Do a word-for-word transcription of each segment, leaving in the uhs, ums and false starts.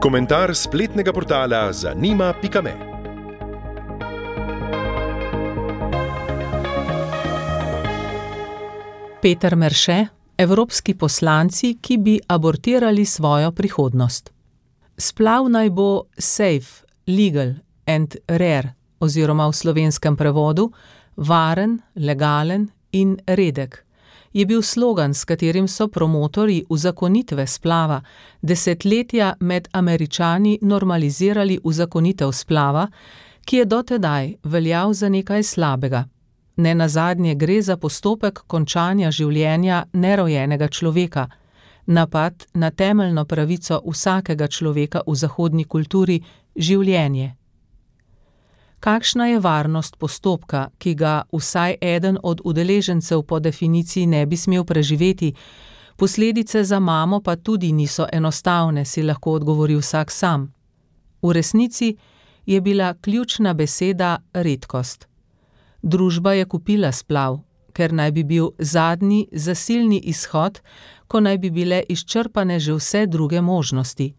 Komentar spletnega portala zanima pika me. Peter Merše, evropski poslanci, ki bi abortirali svojo prihodnost. Splav naj bo safe, legal and rare oziroma v slovenskem prevodu varen, legalen in redek. Je bil slogan, s katerim so promotorji uzakonitve splava desetletja med Američani normalizirali uzakonitev splava, ki je dotedaj veljal za nekaj slabega. Nenazadnje gre za postopek končanja življenja nerojenega človeka, napad na temeljno pravico vsakega človeka v zahodni kulturi življenje. Kakšna je varnost postopka, ki ga vsaj eden od udeležencev po definiciji ne bi smel preživeti, posledice za mamo pa tudi niso enostavne, si lahko odgovori vsak sam. V resnici je bila ključna beseda redkost. Družba je kupila splav, ker naj bi bil zadnji zasilni izhod, ko naj bi bile izčrpane že vse druge možnosti.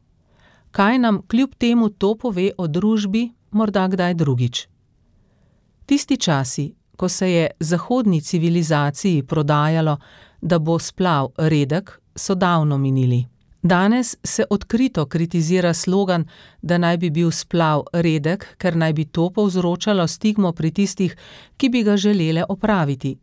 Kaj nam kljub temu to pove o družbi, morda kdaj drugič? Tisti časi, ko se je zahodni civilizaciji prodajalo, da bo splav redek, so davno minili. Danes se odkrito kritizira slogan, da naj bi bil splav redek, ker naj bi to povzročalo stigmo pri tistih, ki bi ga želele opraviti.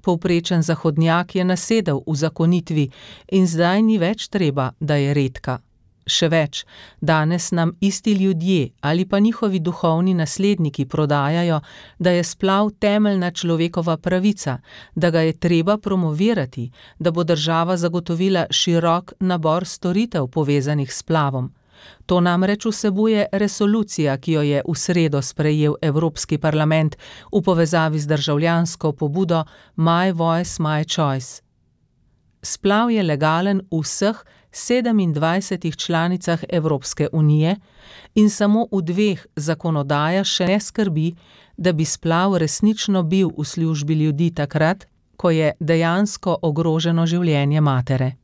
Povprečen zahodnjak je nasedel v zakonitvi in zdaj ni več treba, da je redka. Še več, danes nam isti ljudje ali pa njihovi duhovni nasledniki prodajajo, da je splav temeljna človekova pravica, da ga je treba promovirati, da bo država zagotovila širok nabor storitev povezanih s splavom. To namreč vsebuje resolucija, ki jo je v sredo sprejel Evropski parlament v povezavi z državljansko pobudo My Voice, My Choice. Splav je legalen v vseh sedemindvajsetih članicah Evropske unije in samo v dveh zakonodaja še ne skrbi, da bi splav resnično bil v službi ljudi takrat, ko je dejansko ogroženo življenje matere.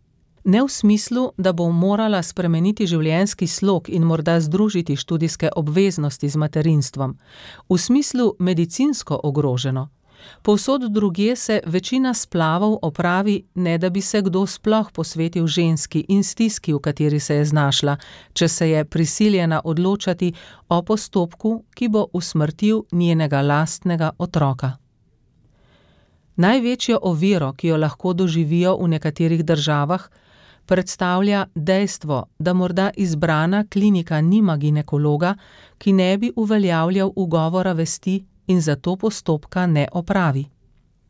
Ne v smislu, da bo morala spremeniti življenjski slog in morda združiti študijske obveznosti z materinstvom, v smislu medicinsko ogroženo. Povsod drugje se večina splavov opravi, ne da bi se kdo sploh posvetil ženski in stiski, v kateri se je znašla, če se je prisiljena odločati o postopku, ki bo usmrtil njenega lastnega otroka. Največjo oviro, ki jo lahko doživijo v nekaterih državah, predstavlja dejstvo, da morda izbrana klinika nima ginekologa, ki ne bi uveljavljal ugovora vesti in zato postopka ne opravi.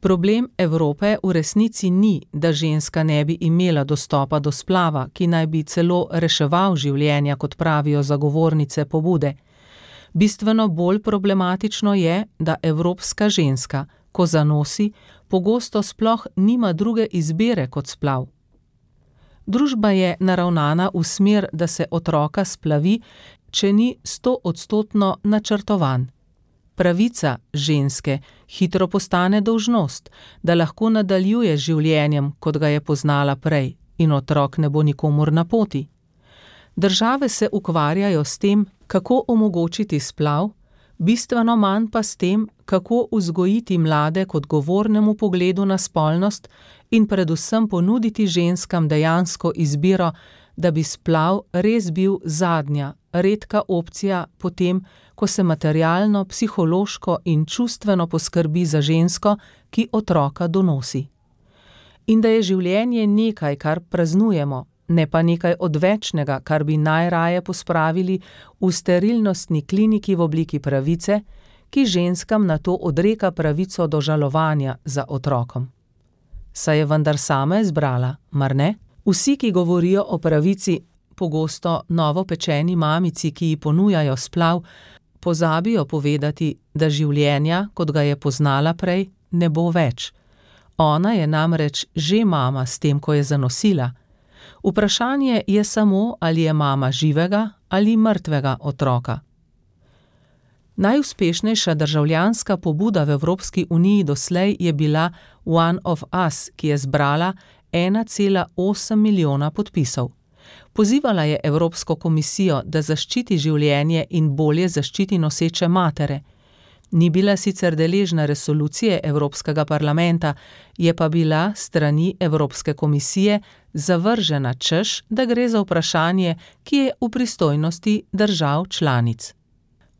Problem Evrope v resnici ni, da ženska ne bi imela dostopa do splava, ki naj bi celo reševal življenja, kot pravijo zagovornice pobude. Bistveno bolj problematično je, da evropska ženska, ko zanosi, pogosto sploh nima druge izbire kot splav. Družba je naravnana v smer, da se otroka splavi, če ni stoodstotno načrtovan. Pravica ženske hitro postane dolžnost, da lahko nadaljuje z življenjem, kot ga je poznala prej, in otrok ne bo nikomur na poti. Države se ukvarjajo s tem, kako omogočiti splav, bistveno manj pa s tem, kako vzgojiti mlade k odgovornemu pogledu na spolnost in predvsem ponuditi ženskam dejansko izbiro, da bi splav res bil zadnja, redka opcija potem, ko se materialno, psihološko in čustveno poskrbi za žensko, ki otroka donosi. In da je življenje nekaj, kar praznujemo, ne pa nekaj odvečnega, kar bi najraje pospravili v sterilnostni kliniki v obliki pravice, ki ženskam nato odreka pravico do žalovanja za otrokom. Saj je vendar sama izbrala, mar ne? Vsi, ki govorijo o pravici, pogosto novopečeni mamici, ki ji ponujajo splav, pozabijo povedati, da življenja, kot ga je poznala prej, ne bo več. Ona je namreč že mama s tem, ko je zanosila. Vprašanje je samo, ali je mama živega ali mrtvega otroka. Najuspešnejša državljanska pobuda v Evropski uniji doslej je bila One of Us, ki je zbrala ena cela osem milijona podpisov. Pozivala je Evropsko komisijo, da zaščiti življenje in bolje zaščiti noseče matere. Ni bila sicer deležna resolucije Evropskega parlamenta, je pa bila strani Evropske komisije zavržena, češ, da gre za vprašanje, ki je v pristojnosti držav članic.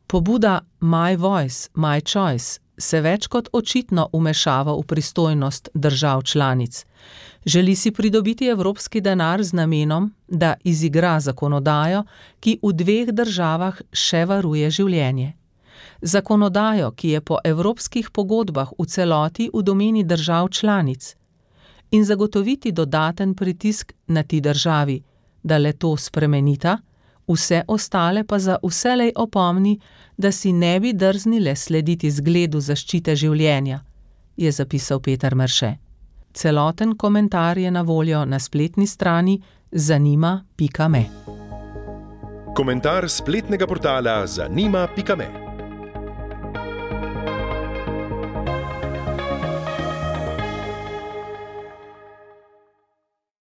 Pobuda My Voice, My Choice se več kot očitno vmešava v pristojnost držav članic. Želi si pridobiti evropski denar z namenom, da izigra zakonodajo, ki v dveh državah še varuje življenje. Zakonodajo, ki je po evropskih pogodbah v celoti v domeni držav članic, in zagotoviti dodaten pritisk na ti državi, da le to spremenita, vse ostale pa za vselej opomni, da si ne bi drznile slediti zgledu zaščite življenja, je zapisal Peter Merše. Celoten komentar je na voljo na spletni strani zanima pika me. Komentar spletnega portala zanima pika me.